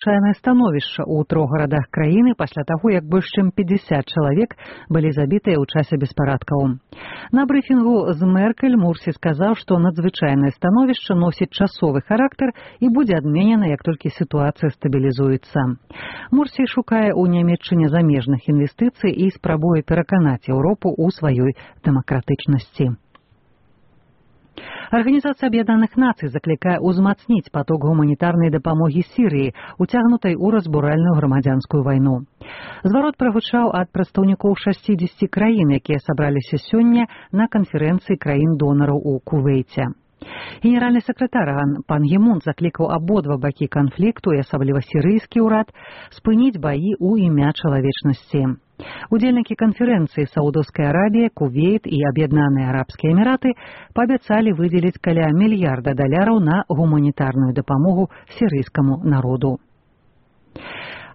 Чайнае становішча ў 3 гарадах краіны пасля таго, як больш чым 50 чалавек былі забітыя ў часе беспарадкаў. На брыфінгу з Меркель Мурсі сказаў, што надзвычайнае становішча носіць часовы характар і будзе адменена, як толькі сітуацыя стабілізуецца. Мурсі шукае ў Нямецчыне замежных інвестыцый і спрабуе пераканаць Еўропу ў сваёй дэмакратычнасці. Арганізацыя Аб'яднаных Нацый заклікае ўзмацніць паток гуманітарнай дапамогі Сірыі, уцягнутай у разбуральную грамадзянскую вайну. Зварот прагучаў ад прадстаўнікоў 60 краін, якія сабраліся сёння на канферэнцыі краін-донараў у Кувейце. Генеральны сакратар пан Гі Мун заклікаў абодва бакі канфлікту, і асабліва сірыйскі ўрад, спыніць баі ў імя чалавечнасці. Удзельнікі канферэнцыі Саудаўская Арабія, Кувейт і Аб'яднаныя Арабскія Эміраты паабяцалі выдзеліць каля $1 мільярда на гуманітарную дапамогу сірыйскаму народу.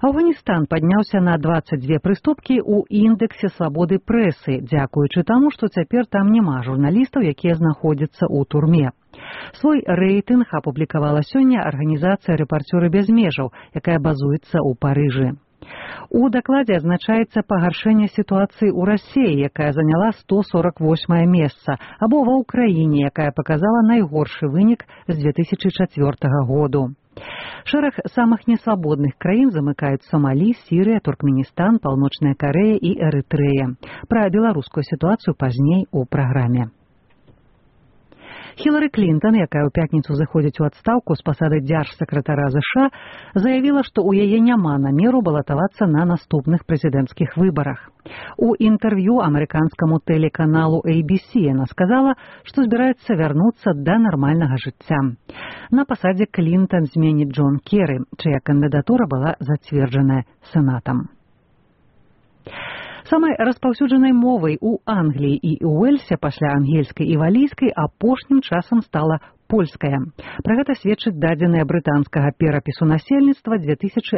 Афганістан падняўся на 22 прыступкі ў індэксе свабоды прэсы, дзякуючы таму, што цяпер там няма журналістаў, якія знаходзяцца ў турме. Свой рэйтынг апублікавала сёння арганізацыя «Рэпарцёры без межаў», якая базуецца ў Парыжы. У дакладзе адзначаецца пагаршэнне сітуацыі ў Расіі, якая заняла 148 месца, або ва Ўкраіне, якая паказала найгоршы вынік з 2004 году. Шэраг самых несвабодных краін замыкаюць Сомалі, Сірыя, Туркменістан, Паўночная Карэя і Эрытрэя. Пра беларускую сітуацыю пазней у праграме. Хілары Клінтон, якая ў пятніцу заходзіць у адстаўку з пасады дзяржсакратара США, заявіла, што ў яе няма намеру балатавацца на наступных прэзідэнцкіх выбарах. У інтэрв'ю амерыканскаму тэлеканалу ABC яна сказала, што збіраецца вярнуцца да нармальнага жыцця. На пасадзе Клінтон зменіць Джон Керры, чыя кандыдатура была зацверджаная сенатам. Самай распаўсюджанай мовай у Англіі і Уэльсе пасля ангельскай і валійскай апошнім часам стала польская. Пра гэта сведчыць дадзеныя брытанскага перапісу насельніцтва 2011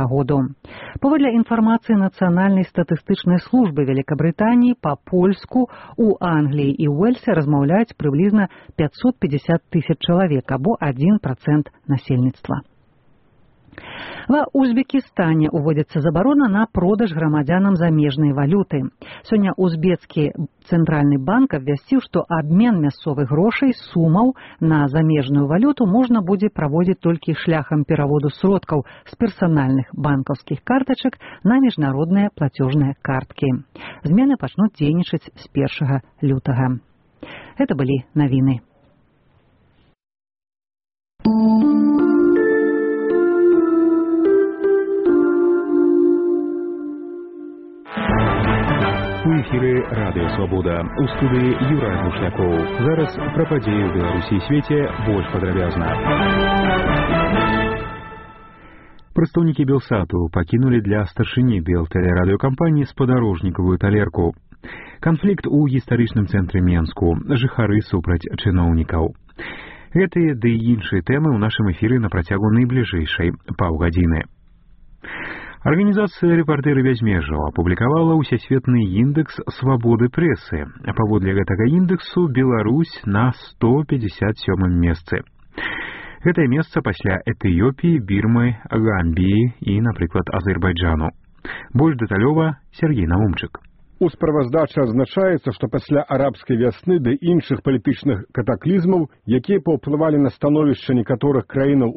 году. Паводле інфармацыі Нацыянальнай статыстычнай службы Вялікабрытаніі, па-польску у Англіі і Уэльсе размаўляюць прыблізна 550 тысяч чалавек, або 1% насельніцтва. Ва Узбекістане уводзіцца забарона на продаж грамадзянам замежнай валюты. Сёння узбецкі цэнтральны банк абвясціў, што абмен мясцовых грошай сумаў на замежную валюту можна будзе праводзіць толькі шляхам пераводу сродкаў з персанальных банкаўскіх картачак на міжнародныя плацёжныя карткі. Змены пачнуць дзейнічаць з 1 лютага. Гэта былі навіны. У эфіры Радыё Свабода. У студыі Юрай Мушнякоў. Зараз пра падзеі ў Беларусі і свеце больш падрабязна. Прадстаўнікі Белсату пакінулі для старшыні Белтэлерадыёкампаніі спадарожнікавую талерку. Канфлікт у гістарычным цэнтры Менску. Жыхары супраць чыноўнікаў. Гэтыя ды і іншыя тэмы ў нашым эфіры на працягу найбліжэйшай паўгадзіны. Арганізацыя «Рэпарцёры без межаў» апублікавала ўсесветны індэкс свабоды прэсы. Паводле гэтага індэксу Беларусь на 157 месцы. Гэтае месца пасля Этыёпіі, Бірмы, Гамбіі і, напрыклад, Азербайджану. Больш дэталёва Сергей Наумчык. У справаздачы адзначаецца, што пасля арабскай вясны ды іншых палітычных катаклізмаў, якія паўплывалі на становішча некаторых краінаў